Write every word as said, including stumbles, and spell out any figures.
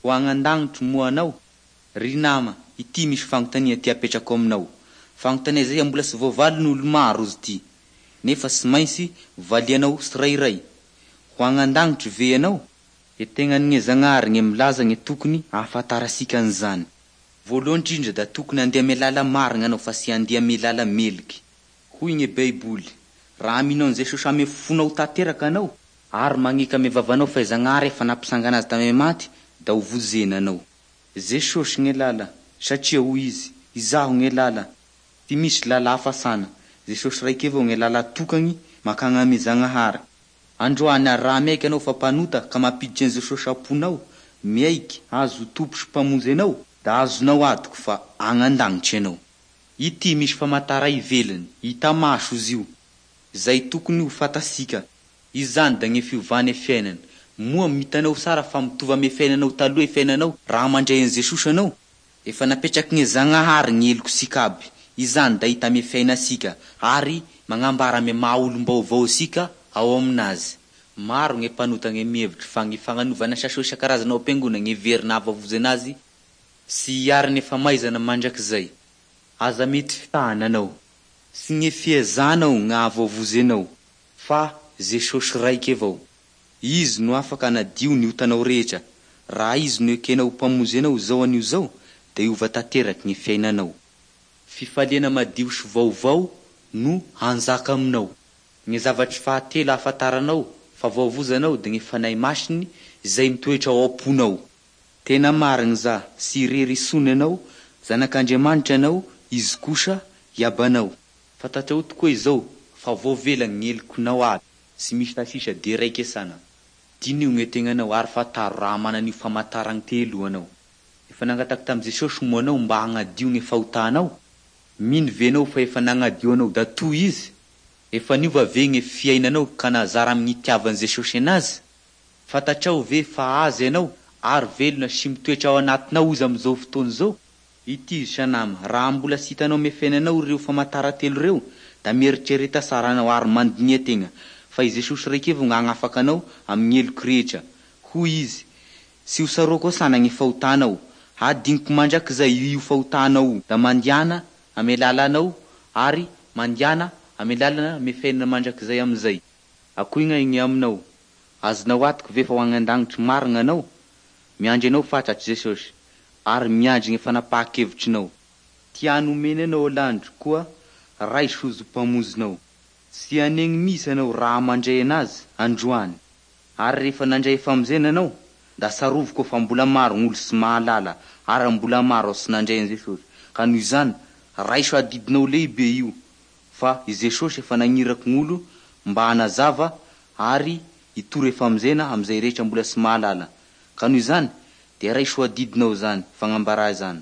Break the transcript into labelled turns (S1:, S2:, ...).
S1: Ho agny an-dagnitry moa anao? Ry nama, ity misy fanontania ty apetrako aminao. Fanontania zay mbola sy voavalin'olo maro izy ty, nefa sy mainsy valianao sirairay. Ho agny an-dagnitry ve ianao? E tegnan'gne Zagnahary gne milaza gne tokony ahafantarasika an'izany. Voalohany indrindra da tokony andeha ame lala marina anao fa sy andeha ame lala meliky. Hoy gne Baiboly, raha mino an'i Jesosy ame fonao tanteraka anao, ary magneky ame vavanao fa i Zagnahary efa nampisangana azy tame maty, da ho vonjena anao. Jesosy gne lala, satria hoy Izy, Izaho gne lala. Sy misy lala hafa sana. Jesosy raiky avao gne lala tokagny makagny ame Zagnahary. Androany ary raha miaiky anao fa mpanota ka mampiditry an'i Jesosy am-ponao, miaiky Azy ho Tompo sy Mpamonjy anao, da azonao antoky fa agny an-dagnitry ianao. Ity misy famantara ivelany, hita maso izy io, izay tokony ho fantasika. Izany da gne fiovane fiainana. Moa hitanao sara fa mitovy ame fiainanao taloha e fiainanao raha mandray an'i Jesosy anao? Efa napetraky gne Zagnahary ny helokosika aby. Izany da hita ame fiainasika ary magnambara ame maha olom-baovao asika ao aminazy. Maro gne mpanota gne mihevitry fa ny fagnanovana saso isan-karazany ao am-piangona gne heverina hahavoavonjy anazy sy hiarany famaizana mandrakizay. Aza mety fitahana anao. Sy gne fiezanao gny hahavoavonjy anao fa Jesosy raiky avao. Izy no afaka hanadio ny otanao rehetra. Raha Izy no ekenao ho Mpamonjy anao izao anio izao, da hiova tanteraky ny fiainanao. Fifaliana madio sy vaovao no hanjaka aminao. Ny zavatry fahatelo ahafantaranao fa voavonjy anao da ny Fanahy Masiny izay mitoetra ao am-ponao. Tena marigny za, sy irery isony anao, zanak'Andriamanitra anao, Izy kosa Iabanao. Fantatrao tokoa izao fa voavela gny helokinao aby, sy misy sisa de raiky sana. Diniho gne tegnanao ary fantaro raha mana an'io famantaragny telo io anao. Efa nangataky tamin'i Jesosy moa anao mba hagnadio gne fahotanao? Mino ve anao fa efa nagnadio anao da toy izy? Efa niova ve gne fiainanao ka nazara amin'ny itiavan'i Jesosy anazy? Fantatrao ve fa azy ianao ary velona sy mitoetra ao anatinao izy amin'izao fotoana izao? Ity izy sanama, raha mbola sy hitanao ame fiainanao ireo famantara telo ireo, da mieritrereta tsara anao ary mandinia tegna fa i Jesosy raiky avao no hagnafaka anao amin'ny heloky rehetra. Hoy izy, sy ho tsaroako asana ny fahotanao, hadiniko mandrakizay io fahotanao io, da mandiana ame lalanao ary mandiana ame lalana ame fiainana mandrakizay amizay. Akoy gn'aigny aminao? Azonao antoky ve fa ho agny an-dagnitry marina anao? Miandry anao fatratsy Jesosy ary miandry ny fanapahan-kevitrinao. Tiany omeny anao landry koa raiso Izy ho Mpamonjinao. Tsy hanegny mihitsy anao raha mandray anazy androany. Ary rehefa nandray famonjena anao, da tsarovy koa fa mbola maro gn'olo sy mahalala ary mbola maro sy nandray an'i Jesosy. Ka noho izany, raiso adidinao lehibe io fa i Jesosy efa nagniraky gn'olo mba hanazava ary hitory famonjena amin'izay rehetra mbola sy mahalala. Ka noho izany, dia raiso adidinao zany fagnambarà zany.